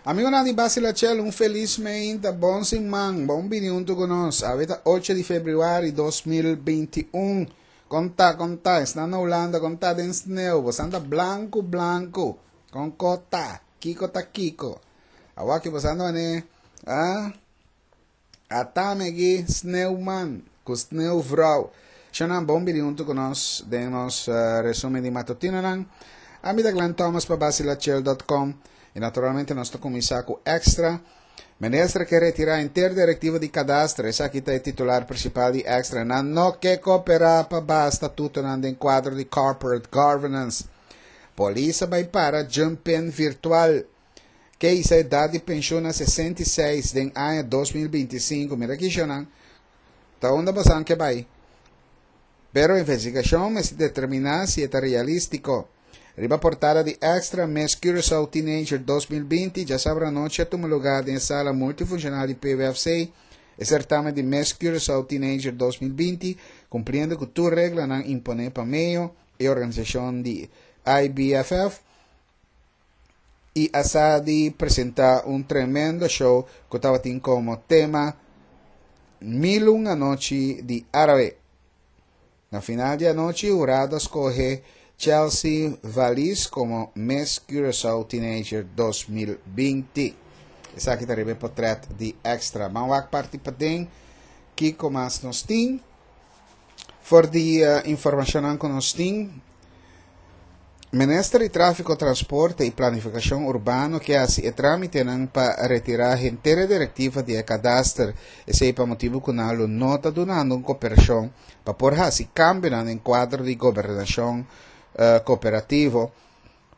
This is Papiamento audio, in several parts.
Amigonan di Basilachel, un felis meinta, bon siman, bon bini huntu ku nos. Awe ta 8 di febrüari 2021. Kon ta, kon ta, esnan na Hulanda, kon ta den sneu, bosan ta blanku blanku. Kon ko ta, kiko ta kiko. Awaki bosan ta mane, ah, Atame aki Sneeuwman ku Sneeuwvrouw. Shonnan bon bini huntu ku nos den nos resumen di matutinonan. Ami ta Glenn Thomas pa Basilachel dot com i naturalmente nos ta kuminsá ku Extra. Minister ke retirá henter direktiva di Kadastre. Esaki ta e titular prinsipal di Extra. Nan no ke koperá pa baha statutonan den kuadro di corporate governance. Polis a bai para jump-in virtual. Ke hisa edat di penshun na 66 den aña 2025. Mira kishonan. Ta unda bosan ke bai? Pero investigashon mester determiná si e ta realístiko. Riba portada di Extra, Miss Curaçao Teenager 2020 djasabra anochi a tuma lugá den e sala multifunshonal di PWFC e sertamen di Miss Curaçao Teenager 2020, kumpliendo ku tur reglanan imponé pa medio e organisashon di IBFF. i a sa di presentá un tremendo show ku tabatin komo tema Mil un Anochi di Árabe. Na final di anochi hurado a skohe Chelsea Valies komo Miss Curaçao Teenager 2020. Esaki ta riba e potrèt di Extra. Ban wak parti paden kiko mas nos tin. For di informashonnan ku nos tin, Minister di Tráfiko, Transporte i Planifikashon Urbano ke hasi e trámitenan pa retirá henter e direktiva di e kadaster. Esei pa motibu ku nan lo no ta dunando un koperashon pa por hasi kambionan den kuadro di gobernashon koperativo.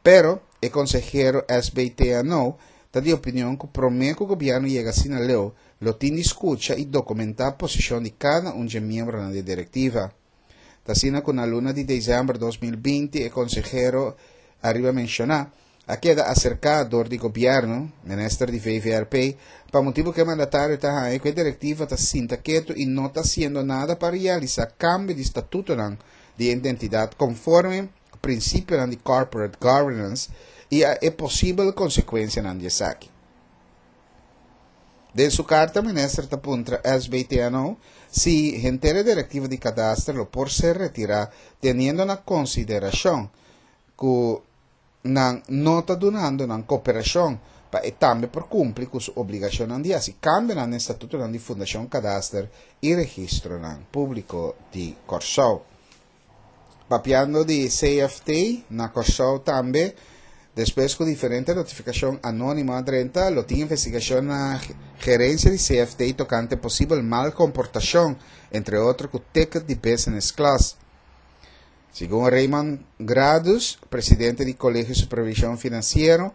Pero, e konsehero SBTNO ta di opinion ku promé ku gobièrnu yega asina leu, lo tin di skucha i dokumentá posishon di kada un dje miembronan di e direktiva. Ta asina ku na luna di desèmber 2020 e konsehero ariba menshoná a keda aserká dor di gobièrnu, minister di VVRP, pa motibu ku e mandatario ta haña ku e direktiva ta sinta ketu i no ta hasiendo nada pa realisá kambio di statutonan di e identidat konforme prinsipionan di corporate governance i a e posibel konsekuensianan di esaki. Den su karta minister ta puntra SBTNO si henter e direktiva di kadaster lo por ser retirá teniendo na konsiderashon ku nan no ta dunando nan koperashon pa e tambe por kumpli ku su obligashonnan di hasi kambionan den statutonan di Fundashon Kadaster i Registronan Públiko di Kòrsou. Papiando di CFT na Kòrsou tambe, despues ku diferente notifikashon anónimo a drenta, lo tin investigashon na gerensia di CFT tokante posibel mal komportashon, entre otro ku ticket di business class. Segun Raymond Gradus, presidente di Kolegio Supervishon Finansiero,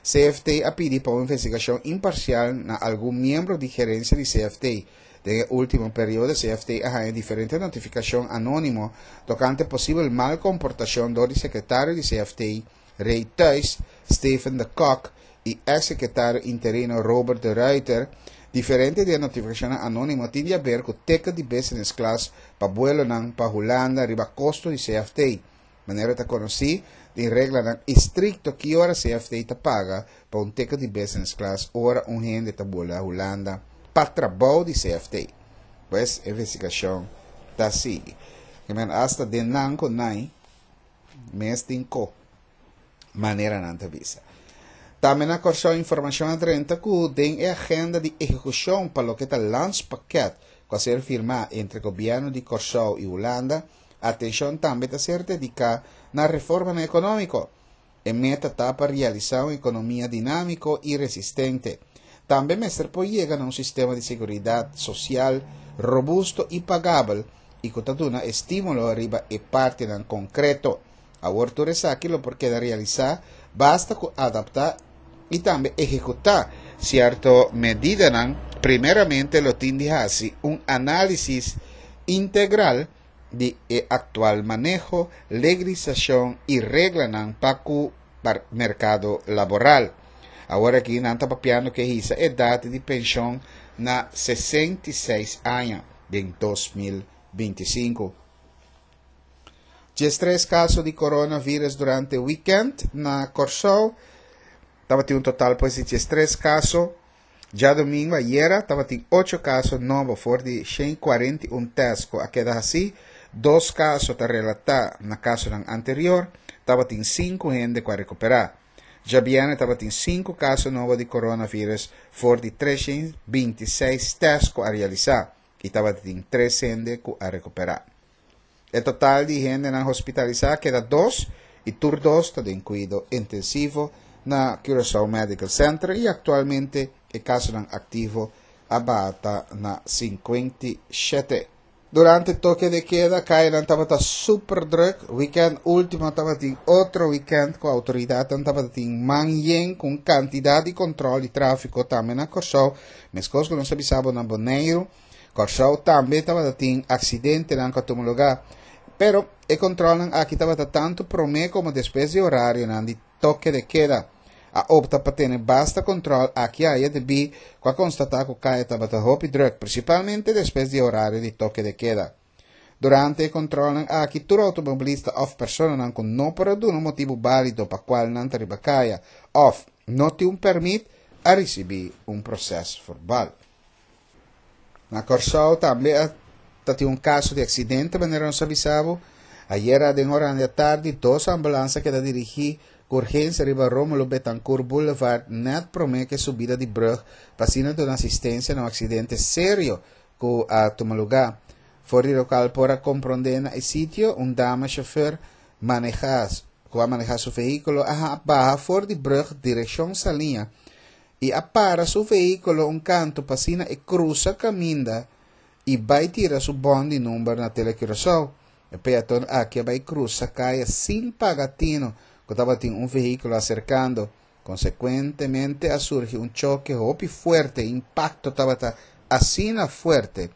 CFT a pidi pa un investigashon imparsial na algun miembro di gerensia di CFT. Den e último periodo CFT a haña diferente notifikashon anónimo tokante posibel mal komportashon dor di sekretario di CFT, Ray Thuis, Steven de Kok i eks sekretario interino Robert de Ruiter. Diferente di e notifikashonnan anónimo tin di aber ku ticket di business class pa buelonan pa Hulanda riba kosto di CFT. Manera ta konosí, tin reglanan estrikto ki ora CFT ta paga pa un ticket di business class ora un hende ta bula Hulanda pa trabou di CFT. Pues, e investigashon ta sigui. Ke men asta den nan ku nai mes tin ko, manera nan ta bisa. Tambe na Kòrsou informashon a drenta ku den e agenda di ehekushon pa loke ta landspakket ku a ser firmá entre gobièrnu di Kòrsou i Hulanda, Atenshon tambe ta ser dediká na reformanan ekonómiko. E meta ta pa realisá un ekonomia dinámiko i resistente. Tambe mester por yega na un sistema di seguridat sosial robusto i pagabel i ku ta duna estímulo riba e partinan konkreto. Awor tur esaki lo por keda realisá basta ku adaptá i tambe ehekutá sierto medidanan. Primeramente lo tin di hasi un análisis integral di e aktual maneho, legalisashon i reglanan pa ku merkado laboral. Awor aki nan ta papiando ke hisa edat di penshon na 66 aña den 2025. 13 kaso di coronavirus durante weekend na Kòrsou. Tabatin un total pues di 13 kaso. Djadumingu ayera tabatin ocho kaso nobo for di 141 tèst ku a keda hasí. Dos kaso ta relatá na kasonan anterior. Tabatin sinku hende ku a rekuperá. Djabièrnè tabatin sinku kaso nobo di coronavirus for di 326 tèst ku a realisá i tabatin tres hende ku a rekuperá. E total di hendenan hospitalisá keda dos i tur dos ta den kuido intensivo na Curaçao Medical Center i aktualmente e kasonan aktivo a baha na 57. Durante toke de keda kayanan tabata super druk. Weekend último tabatin otro weekend ku outoridatnan tabatin man yen ku un kantidat di kontròl di tráfiko tambe na Kòrsou, meskos ku nos a bisa bo na Boneiru. Kòrsou tambe tabata tin aksidentenan ku a tuma lugá. Pero e kontròlnan aki tabata tantu promé komo despues di orarionan di toke de keda. A opta pa tene basta kontròl aki aya debí ku a konstatá ku kaya tabata hopi drùk, prinsipalmente despues di e orario di toke de keda. Durante e kontròlnan aki tur outomobilista òf personanan ku no por a duna un motibu bálido pa kual nan ta riba kaya òf no tin un pèrmit a risibí un proses verbal. Na Kòrsou tambe a ta tin un kaso di aksidente manera nos a bisa bo. Ayera den oran di atardi dos ambulans a keda dirigí ku urgensia riba Rómulo Betancourt Boulevard nèt promé ku e subida di brùg pa asina duna asistensia na un aksidente serio ku a tuma lugá. For di lokal por a komprondé na e sitio un dama shofèr manehá ku a manehá su vehíkulo a baha for di brùg direkshon Saliña i a para su vehíkulo un kantu pa asina e krusa kaminda i bai tira su bòn di number na Telecuraçao. E peaton aki a bai krusa kaya sin paga tino ku tabatin un vehíkulo aserkando. Konsekuentemente a surgi un choke hopi fuerte, e impakto tabata asina fuerte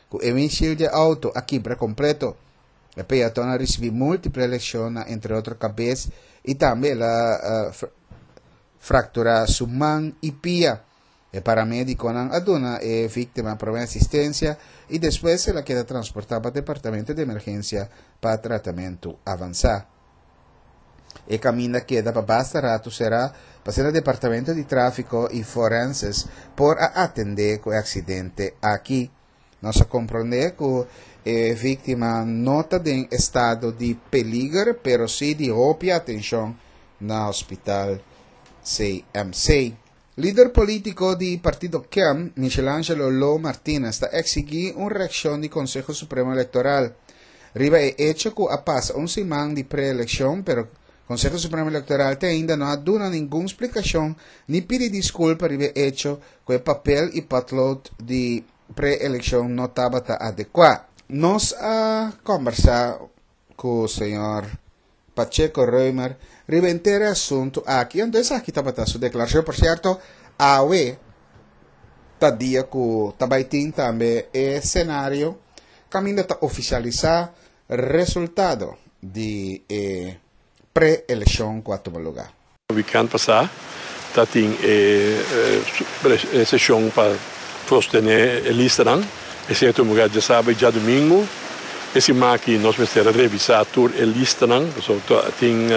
ku e windshield di e outo a kibra kompleto. E peaton a risibí múltiple leshon na entre otro kabes i tambe el a fractura su man y pia. E paramediconan a duna e victima prome asistencia y despues el a keda transporta pa departamento di emergencia pa tratamento avansa. E caminda keda pa basta rato cera pa asina departamento di trafico y forenses por a atende cu e accidente aki. Nos a comprende cu e victima no ta den estado di peliger pero si di hopi atencion na hospital CMC. Lider politico di partido KEM, Michelangelo Lo Martinez ta exigi un reaccion di Conseho Supremo Electoral riba e hecho cu a pasa un siman di pre-eleccion pero Conseho Supremo Electoral te ainda no a duna ningun splicacion ni pidi disculpa riba e hecho cu e papel y potlood di pre-eleccion no tabata adecua. Nos a combersa cu señor Pacheco Römer riba henter e asunto aki, anto esaki tabata su declaracion. Por cierto, awe ta dia cu ta bay tin tambe e scenario caminda ta oficialisa resultado di e pre-eleccion cu a tuma lugar. Weekend pasá ta tin e seshon pa sostené e listanan. Esei a tuma lugar djasabra i djadumingu. E siman aki nos mester a revisá tur e listanan pasobra tin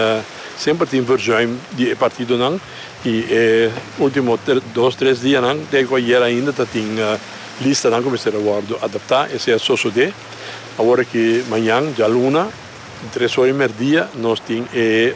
semper tin verzuim di e partidonan i e último dos tres dianan te ku ayer ainda ta tin listanan ku mester a wòrdu adaptá. Esei a sosodé. Awor aki mañan djaluna. Tres ora i merdia nos tin e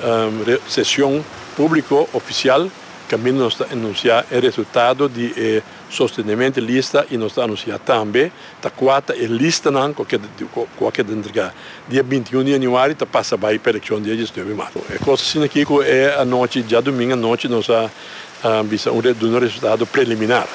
sesion publico oficial caminda nos ta anuncia e resultado di e sostenimento di lista y nos ta anuncia tambe ta cua ta e listanan cu a keda entrega dia 21 di januari ta pasa bay pa eleccion dia 19 di marzo. E cos asina aki cu e anochi djadomingo anochi nos a bisa un duna resultado preliminar.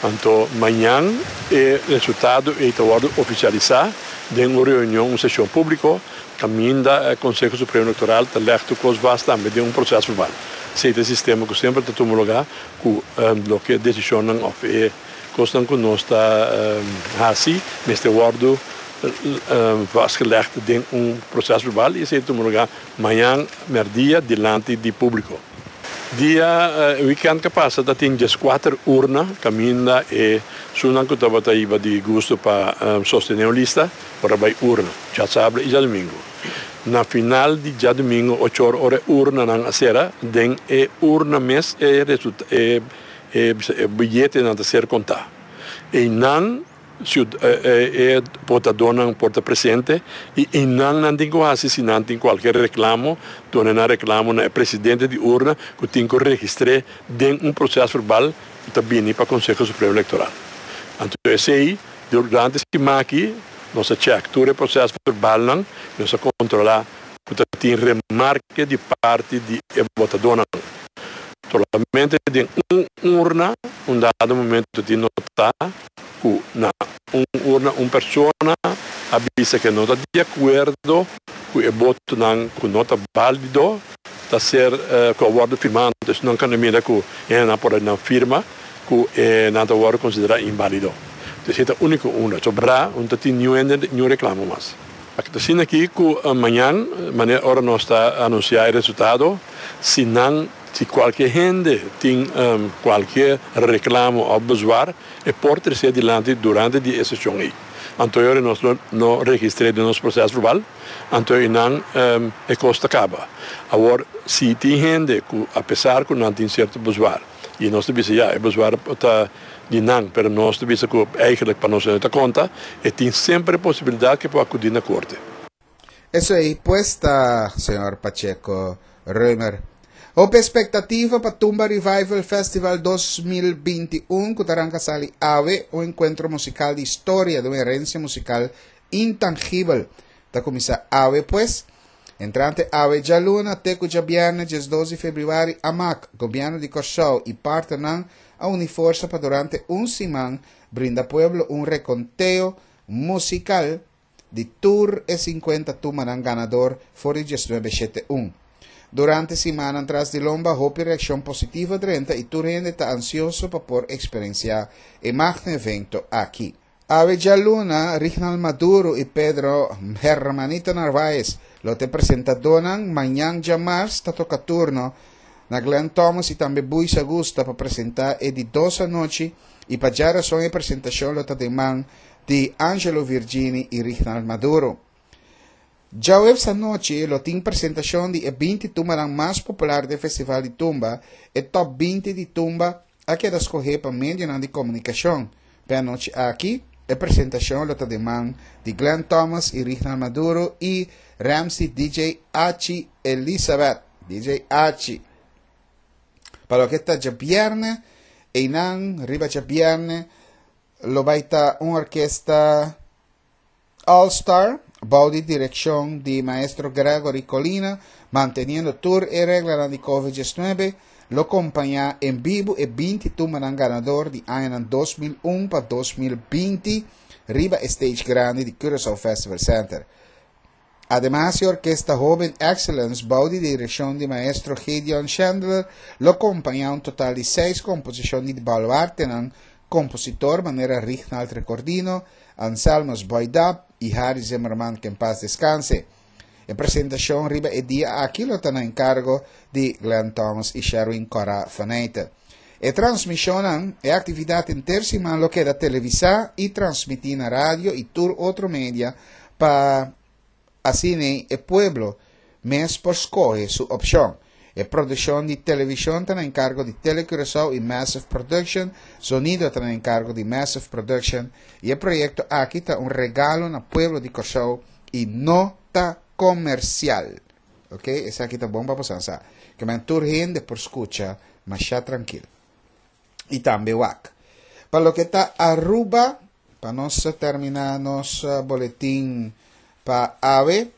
Anto mañan e resultado ei ta wòrdu ofisialisá den un reunion, un seshon públiko, kaminda e Konseho Supremo Elektoral ta lèg tur kos vast tambe den un proses verbal. Esei ta e sistema ku semper ta tuma lugá ku loke desishonnan òf e kosnan ku nos ta hasi mester wòrdu vastgelegd den un proses verbal i esei ta tuma lugá mañan mèrdia dilanti di públiko. Dia weekend ke pasa ta tin 14 urna kaminda e sunan ku tabata hiba di gusto pa sostené un lista por a bai urna djasabra i djadumingu. Na final di djadumingu ocho or ora e urnanan a sera, den e urna mes e e e biyetenan ta ser kontá. Einan e botadónan por ta presente i einan nan tin ku hasi si nan tin kualke reklamo, duna nan reklamo na e presidente di urna ku tin ku registr'é den un proses verbal ku ta bini pa Konseho Supremo Elektoral. Anto esei Durante siman aki nos a chèk tur e proses verbalnan i nos a kontrolá ku ta tin remarke di parti di e botadónan. Solamente den un urna un dado momento tin notá ku na un urna un persona a bisa ku e no ta di akuerdo ku e botonan ku no ta bálido ta ser ku a wòrdu firmá. Anto esnan kan a mira ku e hendenan por a nan firma. Ku e nan ta wòrdu konsiderá inválido. Entonces e ta úniko unda. Sobrá un ta tin niun hende niun reklamo mas. Ta asina aki ku mañan manera ora nos ta anunsiá e resultado, si nan si kualke hende tin kualke reklamo òf bezwaar e por tres'é dilanti durante di e seshon ei. Anto e ora nos lo no registr'é den nos proses verbal, anto einan e kos ta kaba. Awor si tin hende ku apesar ku nan tin sierto bezwaar, I nos ta bisa, ya, e bezwaar ta di nan, pero nos ta bisa ku eigenlijk pa nos no ta konta, e tin semper e posibilidat ku e por akudí na korte. Esei pues ta señor Pacheco Römer. Hopi expectativa pa Tumba Revival Festival 2021 cu ta ranca sali awe, un encuentro musical di historia di un herencia musical intangibel. Ta cuminsa awe pues. Entrante awe djaluna te ku djabièrnè 12 di febrüari amak, Gobièrnu di Kòrsou i partnernan a uni forsa pa durante un siman brinda pueblo un rekonteo musikal di tur e 50 tumanan ganador for di 19 shete un. Durante simannan tras di lomba hopi reakshon positivo a drenta i tur hende ta ansioso pa por eksperensiá e magno evento aki. Awe djaluna, Rignald Maduro i Pedro Hermanito Narvaez lo ta e presentadónan. Mañan djamars ta toka turno na Glenn Thomas i tambe Buis Augusta pa presentá e di dos anochi i pa djarason e presentashon lo ta den man di Angelo Virgini i Rignald Maduro. Djaweps anochi lo tin presentashon di e 20 tumbanan mas popular den Festival di Tumba, e top 20 di tumba a keda skohé pa medionan di komunikashon. P'e anochi aki, e presentashon lo ta den man di Glenn Thomas i Rignald Maduro i Ramsey DJ Achi Elizabeth, DJ Achi. Pa loke ta djabièrnè, einan riba djabièrnè lo bai ta un orkesta All Star, bou di direkshon di maestro Gregory Colina, manteniendo tur e reglanan di Covid 19, lo kompañá en bibu e 20 tumbanan ganador di añanan 2001 pa 2020 riba e stage grandi di Curaçao Festival Center. Ademas e orkesta Hoben Excellence bou di direkshon di maestro Gideon Chandler lo kompañá un total di seis komposishon di baluartenan kompositor manera Rignald Recordino, Anselmus Boydap i Harry Zimmerman que en paz descanse. E presentashon riba e dia aki lo ta na enkargo di Glenn Thomas i Sherwin Cora Faneyte. E transmishonnan, e aktividat henter siman lo keda televisá i transmití na radio i tur otro media pa asina e pueblo mes por skohe su opshon. E produkshon di televishon ta na enkargo di Tele Curaçao i Massive Production, zonido ta na enkargo di Massive Production i e proyekto aki ta un regalo na pueblo di Kòrsou i no ta komersial. Ok, esaki ta bon pa boso sa. Ke men tur hende por skucha masha trankil. I tambe wak. Pa loke ta Aruba, pa nos terminá nos boletin pa awe,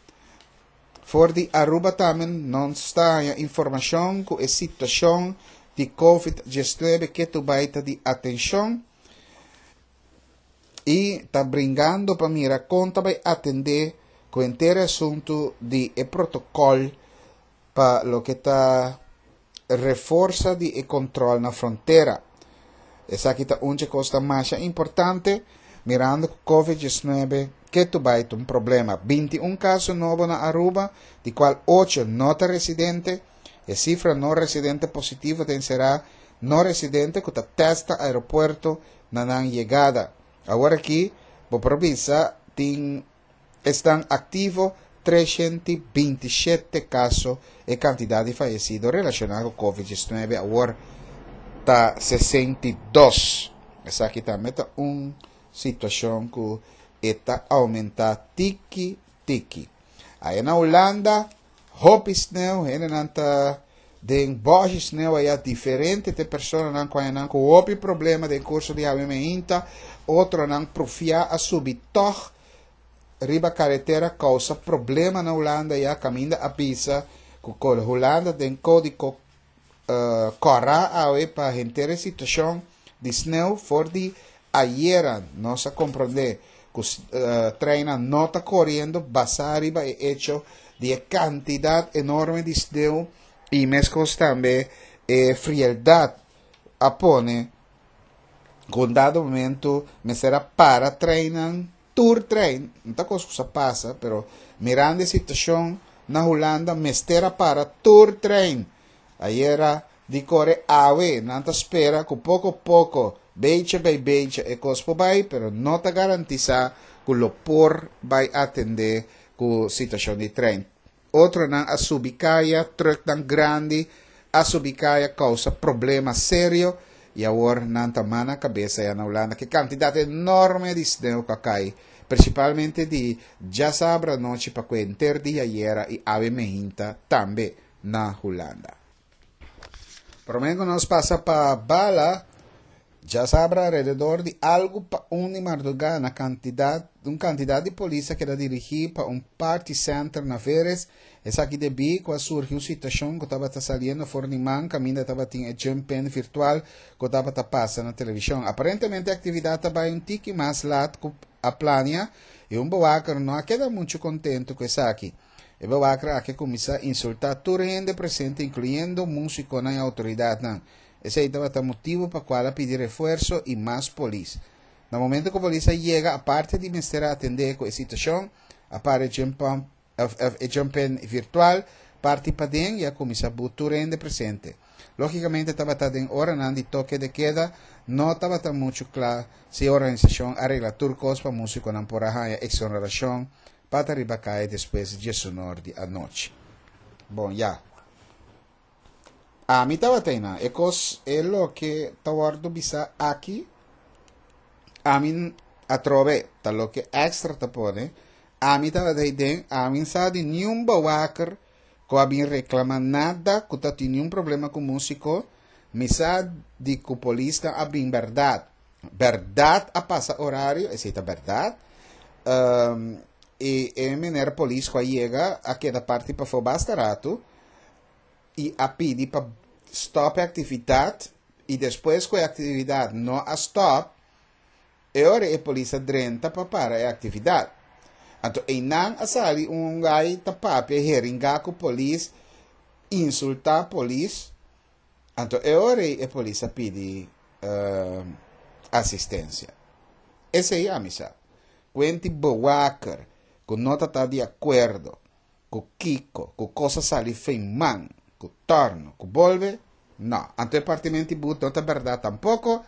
For di Aruba tambe nos ta haña informashon ku e situashon di Covid 19 ketu bai ta di atenshon i ta bringando pa mira kon ta bai atendé ku henter e asuntu di e protokòl pa loke ta reforsa di e kontrol na frontera. Esaki ta un dje kos ta masha importante, mirando ku Covid 19 ketu bai ta un problema. 21 kaso nobo na Aruba, di kual 8 no ta residente. E sifra no residente positivo ta enserá no residente ku ta tèst na aeropuerto na nan yegada. Awor aki bo por bisa tin esnan aktivo. 327 kaso. E kantidat di fayesido relashoná ku Covid 19 awor ta 62. Esaki tambe ta un situashon ku e ta oumentá tiki tiki. Aya na Hulanda hopi sneu, hendenan ta den bòshi sneu aya, diferente te personanan ku haña nan ku hopi problema den kurso di awe meinta, otronan profiá a subi tòg riba karetera kousa problema na Hulanda ya kaminda a bisa ku Hulanda den kódigo kòrá awe pa henter e situashon di sneu for di ayera. Nos a komprondé ku treinnan no ta koriendo basá riba e echo di e kantidat enorme di sneu i meskos tambe e frieldat a pone ku un dado momento mester a para treinnan, tur trein, no ta kos ku sa pasa, pero mirando e situashon na Hulanda mester a para tur trein. Ayera di kore awe nan ta spera ku poko poko, becha bai becha e kos por bai, pero no ta garantisá ku lo por bai atendé ku situashon di trein. Otronan a subi kaya, trùknan grandi a subi kaya kousa problema serio i awor nan ta mana kabesa ya na Hulanda ku e kantidat enorme di sneu ku a kai, prinsipalmente di djasabra anochi pa ku henter di ayera i awe mehinta tambe na Hulanda. Promé ku nos pasa pa bala, djasabra alrededor di algu pa un di mardugá na kantidat un kantidat di polis a keda dirigí pa un party center na Veres. Esaki debí ku a surgi un situashon ku tabata saliendo for di man kaminda tabatin e jump-in virtual ku tabata pasa na televishon. Aparentemente e aktividat a bai un tiki mas lat ku a plania i un bewaker no a keda muchu kontentu ku esaki. E bewaker aki a kuminsá insultá tur hende presente inkluyendo músikonan i outoridatnan. Esei tabata motibu pa kual a pidi refuerso i mas polis. Na momento ku polis a yega aparte di mester a atendé ku e situashon, a para e e jump-in virtual parti paden i a kuminsá but tur hende presente. Lógikamente tabata den oranan di toke de keda, no tabata muchu kla si e organisashon a regla tur kos pa músikonan por a haña eksonerashon pa ta riba kaya despues di diesunor di anochi. Bon, ya. Ami tabata einan. E kos, e loke ta wòrdu bisá aki, ami atrobe, ta loke Extra ta pone, ami tabata eiden, ami n sa di niun bewaker ku a bin reklamá nada, ku ta tin niun problema ku músiko, mi sa di ku polisnan a bin bèrdat. Bèrdat a pasa orario, esei ta bèrdat. I e mener polis ku a yega a keda parti pafó basta ratu. i a pidi pa stop e actividad y despues cu e actividad no a stop, e ora e polis a drenta pa para e actividad. Anto eynan a sali un guy ta papia heringa cu polis, insulta polis, anto e ora ey e polis a pidi asistencia. Esey ami sa. Cuenti bewaker cu no ta ta di acuerdo Ku kiko? Ku kos a sali fen man? Ku torno? Ku bolbe? No. Anto e partimenti but no ta bèrdat tampoko.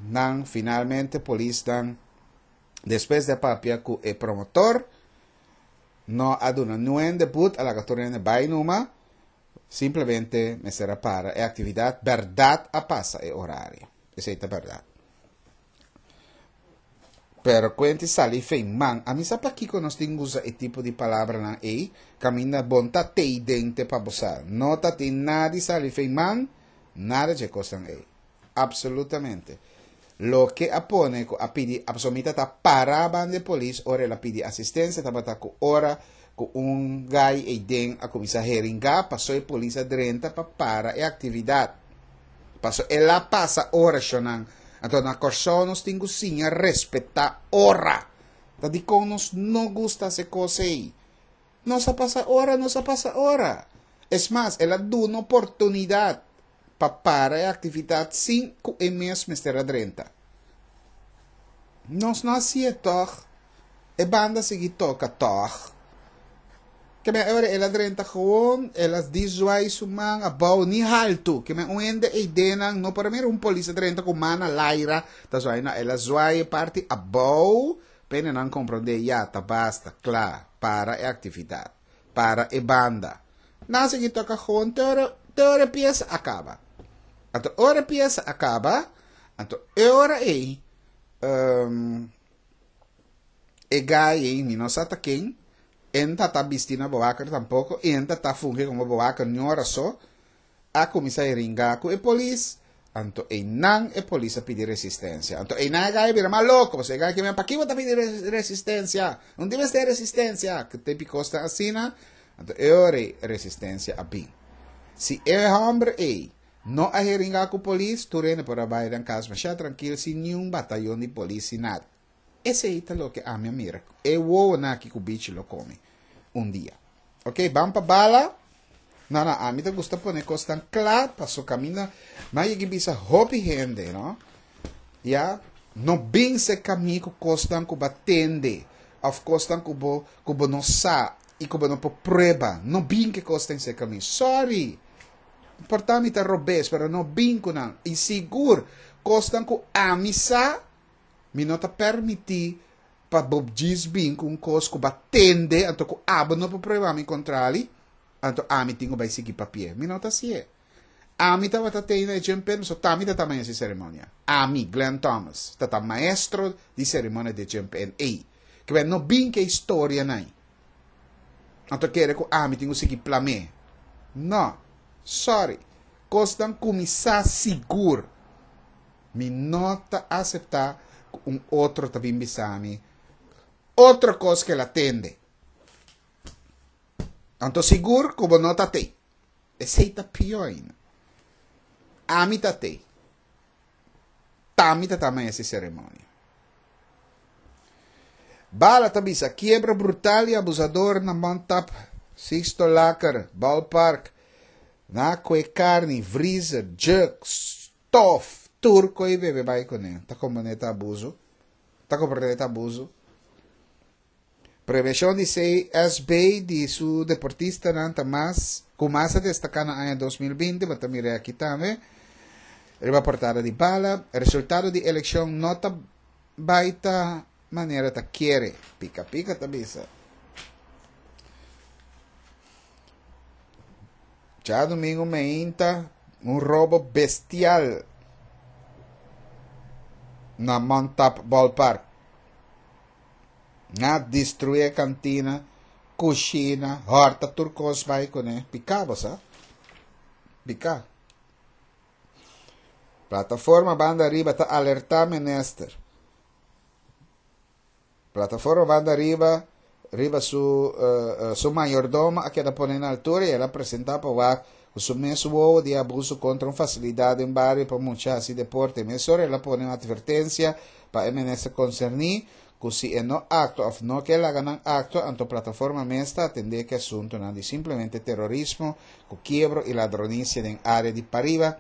Nan finalmente polisnan despues di a papia ku e promotor no a duna niun hende but, a laga tur hende bai numa. Simplemente mester a para e aktividat. Bèrdat a pasa e orario. Esei ta bèrdat. Pero kuenti sali fei man. Ami sa pakiko nos tin usa e tipo di palabranan ei, kaminda bon ta tei dente pa bo sa. No ta tin nada di sali fei man, nada dje kosnan ei. Absolutamente. Loke a pone ku a pidi, pasobra mi ta para banda e polis ora el a pidi asistensia tabata ku ora ku un gai ei den a kuminsá heringá paso e polis a drenta pa para e aktividat. Paso el a pasa ora shonnan. Anto na Kòrsou nos tin ku siña respetá ora. Ta dikon nos no gusta hasi kos ei? Nos a pasa ora, nos a pasa ora. Es mas, el a duna oportunidat pa para e aktividat sin ku e mes mester a drenta. Nos no hasié tòg. E banda sigui toka tòg. Ke men ora el a drenta gewoon, el a di zwaai su man abou, ni haltu. Ke men un hende ei den nan no por a mira un polis a drenta ku man na laira ta zwaai. No, el a zwaai e parti abou. P'e nan komprondé ya ta basta, kla, para e aktividat, para e banda. Nan sigui toka gewoon te ora te ora e piesa a kaba. Anto ora e piesa a kaba, anto e ora ei e gai ei mi no sa ta ken, e no ta ta bisti na bewaker tampoko i e no ta ta fungi komo bewaker ni ora so, a kuminsá e ringá ku e polis, anto einan e polis a pidi resistensia. Anto einan e gai a bira mas loko, pasobra e gai ke men, Pakiko bo ta pidi resistensia? No tin mester resistensia! Ku tempu kos ta asina, anto e ora ei resistensia a bin. Si e hòmber ei no a heringá ku polis, tur hende por a bai nan kas masha trankil sin niun batayon di polis, sin nada. Esei ta loke ami a mira. E wowonan aki ku bichi lo kome un dia. Ok, ban pa bala. No, no, ami ta gusta pone kosnan kla paso kaminda nan yegi bisa hopi hende, no? Ya, no bin se kami ku kosnan ku ba tende of kosnan ku bo ku bo no sa i ku bo no por prueba. No bin ke kosnan se kami. Sorry. Por ta mi ta robes, pero no bin ku nan. I sigur kosnan ku ami sa Mi no ta permití pa bo djis bin ku un kos ku bo a tende anto ku abo no por prueba mi kontrali, anto ami tin ku bai sigui papi'é. Mi no ta hasié. Ami tabata tei na e djempen, so t'ami ta ta maestro di seremonia. Ami, Glenn Thomas, ta ta maestro di seremonia di e djempen ei. Kibè no bin ku e historianan ei. Anto kere ku ami tin ku sigui plam'é. No. Sorry. Kosnan kuminsá sigur. Mi no ta aseptá ku un otro ta bin bisa mi otro kos ku el a tende. Anto sigur ku bo no ta tei. Esei ta pió ainda. Ami ta tei. T'ami ta tama ese seremonia. Bala ta bisa kiebra brutal i abusador na Montap, Sixto Laker, Ballpark, na kue karni, vriezer, jug, Tof, tur koe bebe bai kuné. Ta komprendé ta abuso? Ta komprendé ta abuso? Prevenshon di CSB di su deportistanan ta mas ku mas a destaká na aña 2020, bo ta mira aki tambe riba portada di bala. Resultado di elekshon no ta bai ta manera ta kere, pika pika ta bisa. Djadumingu meinta un robo bestial na Montap Ballpark. Nan a destruí e kantina, kushina, hòrta tur kos bai kuné. Piká bo sa. Piká. Plataforma Banda Ariba ta alertá minister. Plataforma Banda Ariba riba su su mayordomo a keda pone na altura y el a presenta pa wak cu su mes wowo di abuso contra un facilidad den bario pa mucha haci deporte. Mesora el a pone un advertencia pa e minister concerni cu si e no actua of no ke laga nan actua anto plataforma mes ta atende cu e asuntonan di simplemente terorismo cu kiebro y ladronicia den area di pariba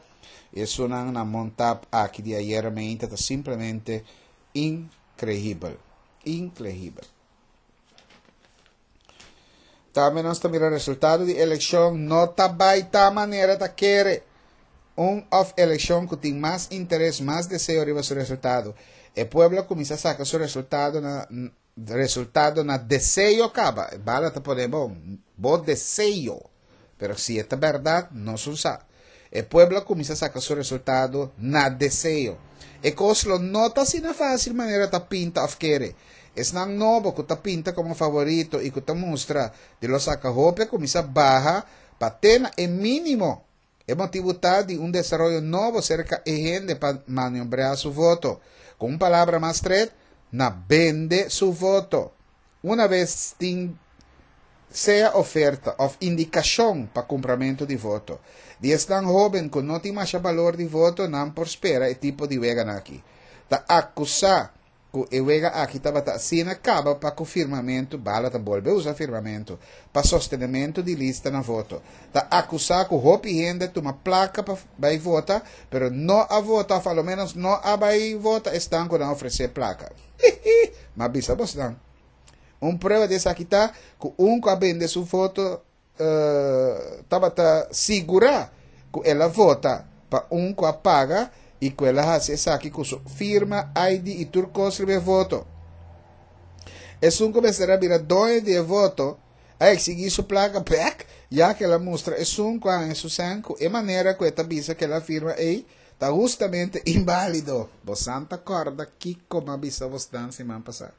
y esunnan na Montap aki di ayera meinta ta simplemente Increíbel. Increíbel. Tambe nos ta mira resultado di eleccion no ta bai ta manera ta kere. Un of eleccion cu tin mas interes, mas deseo riba su resultado. E pueblo a cuminsa saca su resultado na resultado na deseo caba. E bala ta pone bon, bo deseo. Pero si e ta berdad, nos un sa. E pueblo a cuminsa saca su resultado na deseo. E cos lo no ta asina facil manera ta pinta of kere. Esnan nobo cu ta pinta como favorito y cu ta mustra di lo saca hopi a cuminsa baha pa te na e minimo. E motibu ta di un desaroyo nobo serka e hende pa maniobrea su voto. Ku un palabra mas stret, na bende su voto. Una bes tin sea oferta òf indikashon pa kumpramentu di voto. Di esnan hóben ku no tin masha balor di voto nan por spera e tipo di weganan aki. Ta akusá ku e wega aki tabata asina kaba pa ku firmamentu, bala ta bolbe usa firmamentu, pa sostenementu di lista na voto. Ta akusá ku hopi hende tuma plaka pa bai vota, pero no a vota òf alomenos no a bai vota esnan ku nan ofresé plaka. Hihi! M'a bisa bosnan. Un prueba di esaki ta ku un ku a bende su voto tabata sigurá ku el a vota pa un ku a paga i ku el a hasi esaki ku su firma, ID i tur kos riba e voto. Esun ku mester a bira doño di e voto a eksigí su plaka bèk, ya ku el a mustra esun ku a haña su sèn ku e manera ku e ta bisa ku el a firma ei ta hustamente inbálido. Bosan ta kòrda kiko m'a bisa bosnan siman pasá?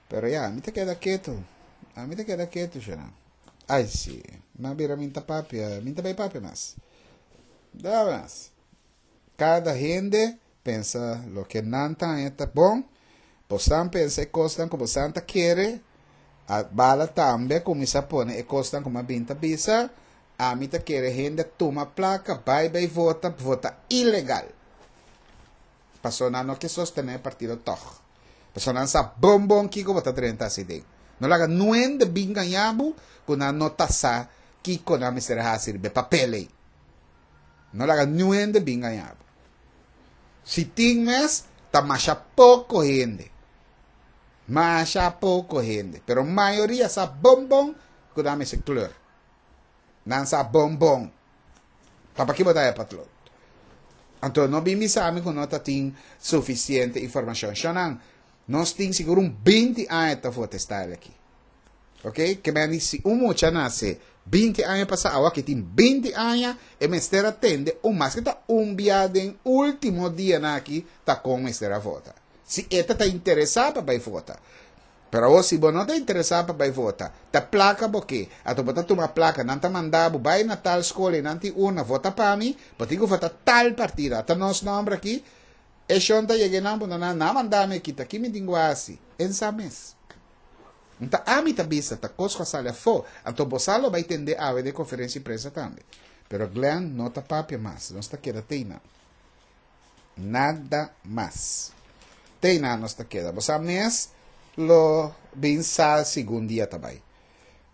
Pero ya, mi ta keda ketu. Ami ta keda ketu, shana. Ai si, m'a bira mi ta papia, mi ta bai papia mas. Da mas. Kada hende pensa loke nan ta haña ta bon, bosan pensa e kosnan ku bosan ta kere, a bala tambe a kuminsá pone e kosnan ku mi a bin ta bisa, ami ta kere hende a tuma plaka bai bai vota, vota ilegal. Pasobra nan no ke sostené e partido tòg. Pasobra nan sa bon bon kiko bo ta drenta hasi den. No laga nuende bin gaña bo ku nan no ta sa kiko nan mester hasi riba e papel ei. No laga niun hende bin gaña bo. Si tin mes, ta masha poko hende. Masha poko hende. Pero mayoria sa bon bon ku nan mester kleur. Nan sa bon bon. Ta paki bo ta e patlot? Anto no bin bisa mi ku no ta tin sufisiente informashon. Shonnan, nos tin sigur un 20 aña ta vota e style aki. Ok, ke men di si un mucha nase 20 aña pasa awa ke tin 20 aña e mester a tende un maske ta un bia den ultimo dianan aki ta kon mester a vota. Si e ta ta interesa pa bai vota. Pero awor si bo no ta interesa pa bai vota, ta plaka bo ke, anto bo ta tuma plaka, nan ta manda bo bai na tal skol i nan tin urna, vota pa mi, bo tin ku vota tal partido, ata nos nomber aki, e shon ta yega einan bo nan a manda mi aki, ta ki mi tin ku hasi? E sa mes. Nta ami ta bisa ta kos ku a sali afó, anto bo sa lo bai tende awe den konferensia di prensa tambe. Pero Glenn no ta papia mas, nos ta keda teinan. Nada mas. Teinan nos ta keda. Bo sa mes lo bin sa segun dia ta bai.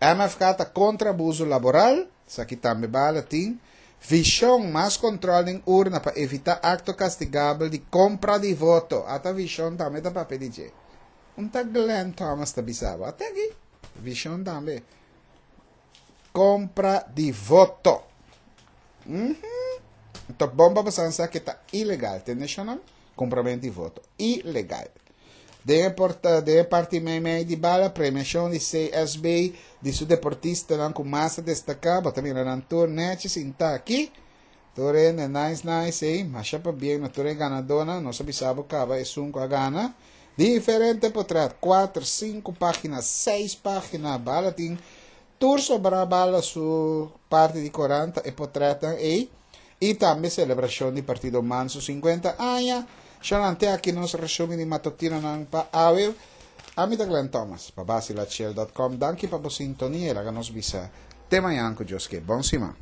MFK ta kontra abuso laboral, esaki tambe bala tin. Vishon, mas kontrol den urna pa evitá akto kastigabel di kompra di voto. Ata vishon tambe ta papia di dje. Un ta Glenn Thomas ta bisa bo. Ate aki. Vision tambe. Compra di voto. Mm -hmm. Ta bon pa bosan sa que ta ilegal. Tende shonan? Compramento di voto. Ilegal. Den porta, den parti mei mei di bala, premiacion di CSB di su deportistanan cu mas a destaca. Bo ta mira nan tur nechi sinta aki. Tur hende nice nice ey, masha pabien na tur e ganadonan, nos a bisa bo caba esun cu a gana. Diferente potret, cuater, cinco pagina, seis pagina, bala tin tur sobra bala su parti di corant ta e potretnan ey. Y tambe celebracion di Partido Man su 50 aña. Shonnan te aki nos resumen di matutinonan pa awe. Ami ta Glenn Thomas pa Basilachel dot com. Danki pa bo sintonia y laga nos bisa te mañan cu Dios ke. Bon siman.